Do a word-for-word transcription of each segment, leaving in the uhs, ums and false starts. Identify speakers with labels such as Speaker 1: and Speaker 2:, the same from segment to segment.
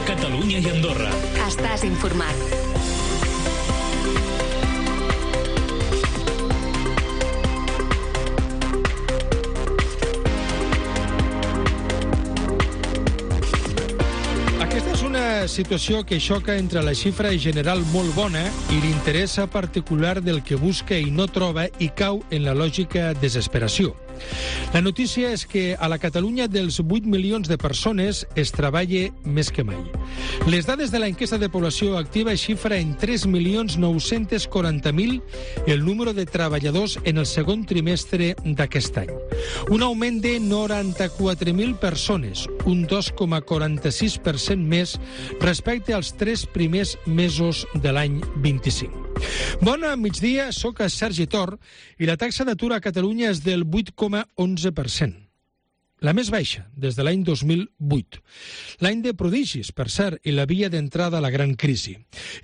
Speaker 1: Catalunya i Andorra.
Speaker 2: Estàs informat.
Speaker 3: Aquesta és una situació que xoca entre la xifra general molt bona i l'interès particular del que busca i no troba i cau en la lògica desesperació. La notícia és que a la Catalunya dels vuit milions de persones es treballa més que mai. Les dades de l'enquesta de població activa xifra en tres milions nou-cents quaranta mil el número de treballadors en el segon trimestre d'aquest any. Un augment de noranta-quatre mil persones, un dos coma quaranta-sis per cent més respecte als tres primers mesos de l'any vint-i-cinc. Bon migdia, soc Sergi Tor i la taxa d'atur a Catalunya és del vuit coma onze per cent. La més baixa des de l'any dos mil vuit. L'any de prodigis, per cert, i la via d'entrada a la gran crisi.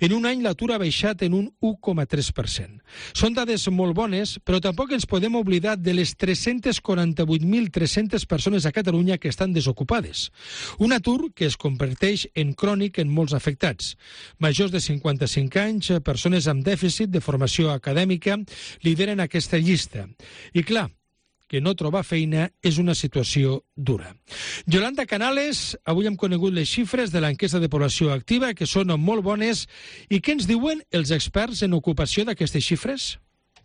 Speaker 3: En un any l'atur ha baixat en un u coma tres per cent. Són dades molt bones, però tampoc ens podem oblidar de les tres-cents quaranta-vuit mil tres-centes persones a Catalunya que estan desocupades. Un atur que es converteix en crònic en molts afectats. Majors de cinquanta-cinc anys, persones amb dèficit de formació acadèmica, lideren aquesta llista. I clar, que no trobar feina és una situació dura. Yolanda Canales, avui hem conegut les xifres de l'enquesta de població activa, que són molt bones. I què ens diuen els experts en ocupació d'aquestes xifres?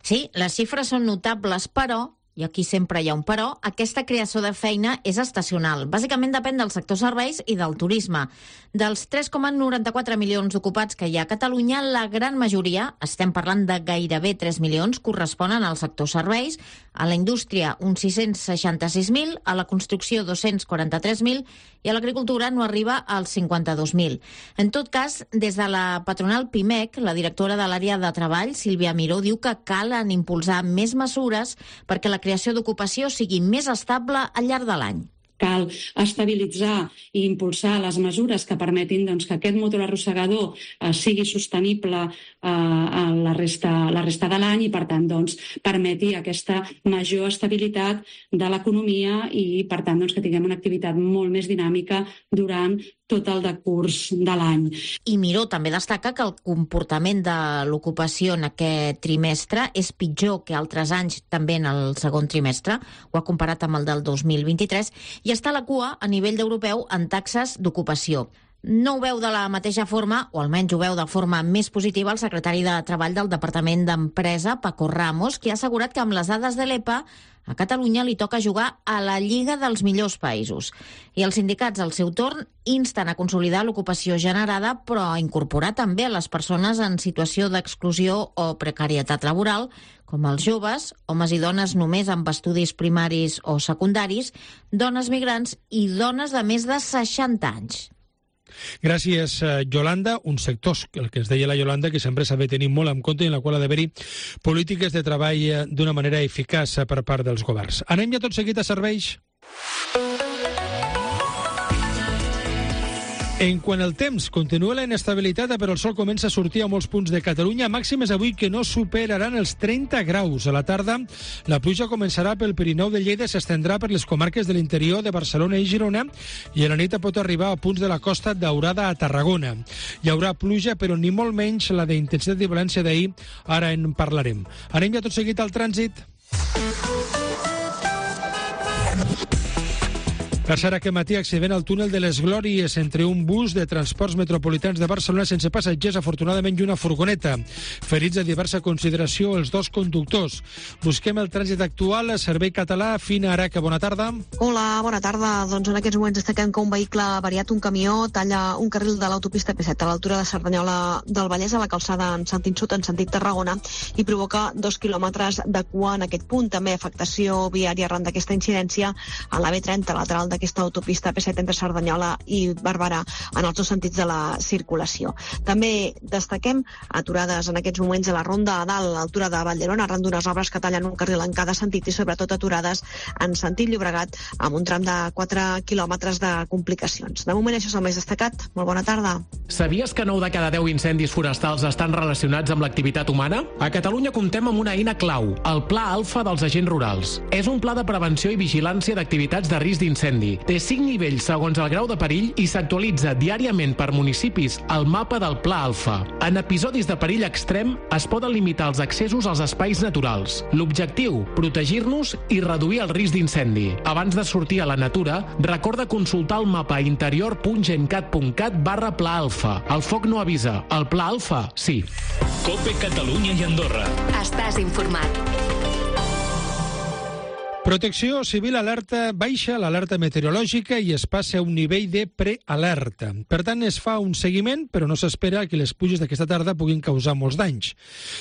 Speaker 4: Sí, les xifres són notables, però, i aquí sempre hi ha un però, aquesta creació de feina és estacional. Bàsicament depèn del sector serveis i del turisme. Dels tres coma noranta-quatre milions ocupats que hi ha a Catalunya, la gran majoria, estem parlant de gairebé tres milions, corresponen al sector serveis, a la indústria uns sis-cents seixanta-sis mil, a la construcció dos-cents quaranta-tres mil i a l'agricultura no arriba als cinquanta-dos mil. En tot cas, des de la patronal PIMEC, la directora de l'àrea de treball, Sílvia Miró, diu que calen impulsar més mesures perquè la creació d'ocupació sigui més estable al llarg de l'any.
Speaker 5: Cal estabilitzar i impulsar les mesures que permetin doncs, que aquest motor arrossegador eh, sigui sostenible eh, a la resta, la resta de l'any i, per tant, doncs, permeti aquesta major estabilitat de l'economia i, per tant, doncs, que tinguem una activitat molt més dinàmica durant tot el decurs de l'any.
Speaker 4: I Miró també destaca que el comportament de l'ocupació en aquest trimestre és pitjor que altres anys, també en el segon trimestre, ho ha comparat amb el del dos mil vint-i-tres, i està a la cua a nivell europeu en taxes d'ocupació. No ho veu de la mateixa forma, o almenys ho veu de forma més positiva, el secretari de Treball del Departament d'Empresa, Paco Ramos, que ha assegurat que amb les dades de l'E P A a Catalunya li toca jugar a la lliga dels millors països. I els sindicats, al seu torn, insten a consolidar l'ocupació generada, però a incorporar també a les persones en situació d'exclusió o precarietat laboral, com els joves, homes i dones només amb estudis primaris o secundaris, dones migrants i dones de més de seixanta anys.
Speaker 3: Gràcies, Yolanda. Un sector, el que ens deia la Yolanda, que sempre s'ha de tenir molt en compte i en la qual ha d'haver-hi polítiques de treball d'una manera eficaç per part dels governs. Anem ja tot seguit a serveis. En quant al temps, continua la inestabilitat, però el sol comença a sortir a molts punts de Catalunya. Màximes avui que no superaran els trenta graus. A la tarda, la pluja començarà pel Pirineu de Lleida, s'estendrà per les comarques de l'interior de Barcelona i Girona, i a la nit pot arribar a punts de la costa Daurada a Tarragona. Hi haurà pluja, però ni molt menys la d'intensitat i violència d'ahir. Ara en parlarem. Anem ja tot seguit al trànsit. Per cert, aquest matí accident al túnel de les Glòries entre un bus de transports metropolitans de Barcelona sense passatgers, afortunadament, i una furgoneta. Ferits de diversa consideració els dos conductors. Busquem el trànsit actual. Servei Català, Fina Araca, bona tarda.
Speaker 6: Hola, bona tarda. Doncs en aquests moments destaquem que un vehicle variat, un camió, talla un carril de l'autopista P set a l'altura de Cerdanyola del Vallès, a la calçada en sentit sud, en sentit Tarragona, i provoca dos quilòmetres de cua en aquest punt. També afectació viària arran d'aquesta incidència a la B trenta, lateral d'aquesta autopista P set entre Cerdanyola i Barberà, en els dos sentits de la circulació. També destaquem aturades en aquests moments a la Ronda a dalt, a l'altura de Vallderona, arran d'unes obres que tallen un carril en cada sentit, i sobretot aturades en sentit Llobregat, amb un tram de quatre quilòmetres de complicacions. De moment això és el més destacat. Molt bona tarda.
Speaker 7: Sabies que nou de cada deu incendis forestals estan relacionats amb l'activitat humana? A Catalunya comptem amb una eina clau, el Pla Alfa dels Agents Rurals. És un pla de prevenció i vigilància d'activitats de risc d'incendi. d'incendi. Té cinc nivells segons el grau de perill i s'actualitza diàriament per municipis el mapa del Pla Alfa. En episodis de perill extrem es poden limitar els accessos als espais naturals. L'objectiu, protegir-nos i reduir el risc d'incendi. Abans de sortir a la natura, recorda consultar el mapa interior punt gencat punt cat barra Pla Alfa. El foc no avisa, el Pla Alfa sí.
Speaker 1: COPE Catalunya i Andorra.
Speaker 2: Estàs informat.
Speaker 3: Protecció Civil alerta baixa l'alerta meteorològica i es passa a un nivell de prealerta. Per tant, es fa un seguiment, però no s'espera que les pluges d'aquesta tarda puguin causar molts danys.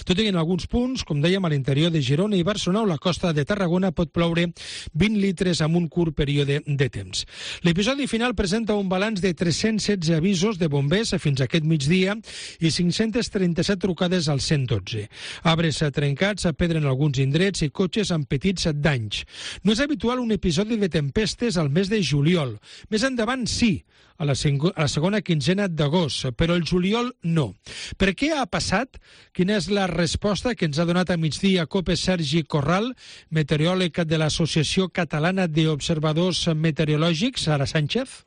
Speaker 3: Tot i que en alguns punts, com dèiem, a l'interior de Girona i Barcelona o la costa de Tarragona pot ploure vint litres en un curt període de temps. L'episodi final presenta un balanç de tres-cents setze avisos de bombers fins a aquest migdia i cinc-cents trenta-set trucades al cent dotze. Arbres trencats, pedra en alguns indrets i cotxes amb petits danys. No és habitual un episodi de tempestes al mes de juliol. Més endavant sí, a la, a la segona quinzena d'agost, però el juliol no. Per què ha passat? Quina és la resposta que ens ha donat a migdia COPE Sergi Corral, meteoròleg de l'Associació Catalana d'Observadors Meteorològics, Sara Sánchez?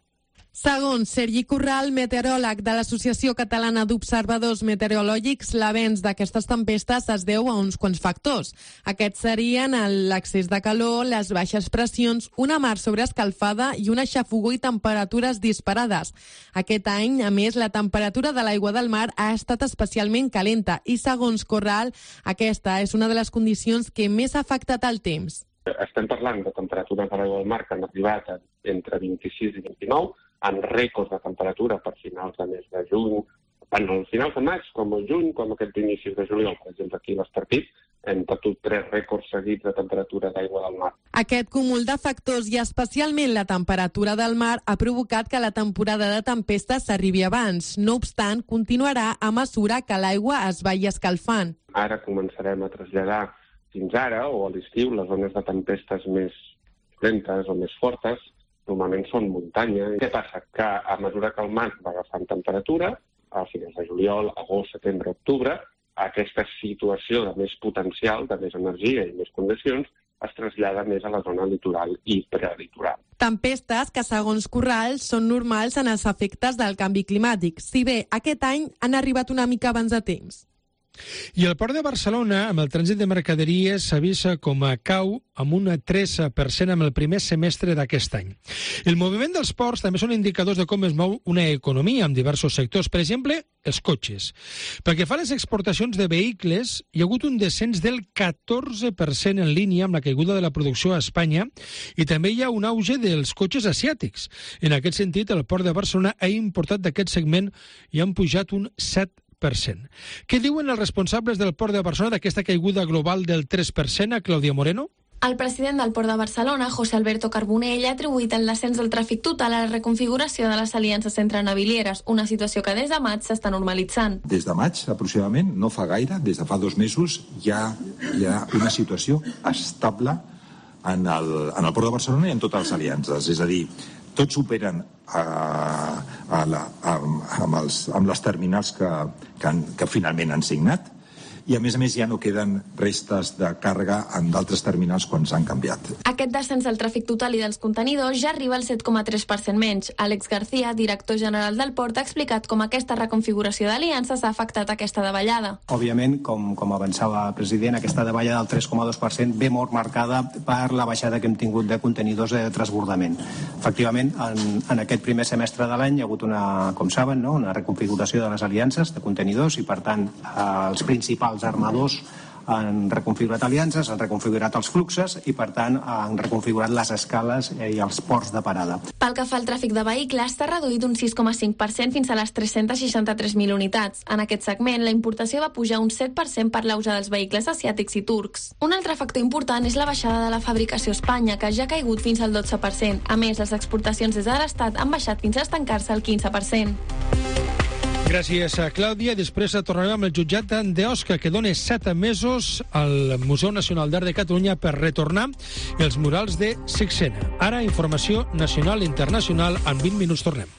Speaker 8: Segons Sergi Corral, meteoròleg de l'Associació Catalana d'Observadors Meteorològics, l'avenç d'aquestes tempestes es deu a uns quants factors. Aquests serien l'excés de calor, les baixes pressions, una mar sobreescalfada i una xafogor i temperatures disparades. Aquest any, a més, la temperatura de l'aigua del mar ha estat especialment calenta i, segons Corral, aquesta és una de les condicions que més ha afectat el temps.
Speaker 9: Estem parlant de temperatures de l'aigua del mar que han arribat entre vint-i-sis i vint-i-nou, amb rècords de temperatura per finals de mes de juny, tant als finals de maig com al juny, com aquest inicis de juliol. Per exemple, aquí a l'Estartit hem batut tres rècords seguits de temperatura d'aigua del mar.
Speaker 8: Aquest cúmul de factors i especialment la temperatura del mar ha provocat que la temporada de tempestes s'arribi abans. No obstant, continuarà a mesura que l'aigua es vagi escalfant.
Speaker 9: Ara començarem a traslladar fins ara, o a l'estiu, les zones de tempestes més lentes o més fortes, normalment són muntanya. Què passa? Que a mesura que el mar va agafant temperatura, a finals de juliol, agost, setembre, octubre, aquesta situació de més potencial, de més energia i més condicions, es trasllada més a la zona litoral i prelitoral.
Speaker 8: Tempestes que, segons Corral, són normals en els efectes del canvi climàtic, si bé aquest any han arribat una mica abans de temps.
Speaker 3: I el Port de Barcelona, amb el trànsit de mercaderies, s'avisa com a cau amb un tres per cent amb el primer semestre d'aquest any. El moviment dels ports també són indicadors de com es mou una economia en diversos sectors, per exemple, els cotxes. Pel que fa a les exportacions de vehicles, hi ha hagut un descens del catorze per cent en línia amb la caiguda de la producció a Espanya i també hi ha un auge dels cotxes asiàtics. En aquest sentit, el Port de Barcelona ha importat d'aquest segment i han pujat un set per cent. Què diuen els responsables del Port de Barcelona d'aquesta caiguda global del tres per cent a Clàudia Moreno?
Speaker 10: El president del Port de Barcelona, José Alberto Carbonell, ha atribuït el descens del tràfic total a la reconfiguració de les aliances entre navilieres, una situació que des de maig s'està normalitzant.
Speaker 11: Des de maig, aproximadament, no fa gaire, des de fa dos mesos, hi ha, hi ha una situació estable en el, en el Port de Barcelona i en totes les aliances. És a dir, tots operen a, a la, a, amb, els, amb les terminals que, que, han, que finalment han signat i a més a més ja no queden restes de càrrega en d'altres terminals quan s'han canviat.
Speaker 10: Aquest descens del tràfic total i dels contenidors ja arriba al set coma tres per cent menys. Àlex García, director general del Port, ha explicat com aquesta reconfiguració d'aliances ha afectat aquesta davallada.
Speaker 12: Òbviament, com, com avançava el president, aquesta davallada del tres coma dos per cent ve molt marcada per la baixada que hem tingut de contenidors de transbordament. Efectivament, en, en aquest primer semestre de l'any hi ha hagut una, com saben, no? una reconfiguració de les aliances de contenidors i, per tant, els principals els armadors han reconfigurat aliances, han reconfigurat els fluxes i, per tant, han reconfigurat les escales i els ports de parada.
Speaker 10: Pel que fa al tràfic de vehicles, s'ha reduït un sis coma cinc per cent fins a les tres-cents seixanta-tres mil unitats. En aquest segment, la importació va pujar un set per cent per l'auge dels vehicles asiàtics i turcs. Un altre factor important és la baixada de la fabricació a Espanya, que ja ha caigut fins al dotze per cent. A més, les exportacions des de l'Estat han baixat fins a estancar-se al quinze per cent.
Speaker 3: Gràcies a Clàudia. Després tornarem amb el jutjat d'Osca, que dona set mesos al Museu Nacional d'Art de Catalunya per retornar els murals de Sixena. Ara, informació nacional i internacional. En vint minuts tornem.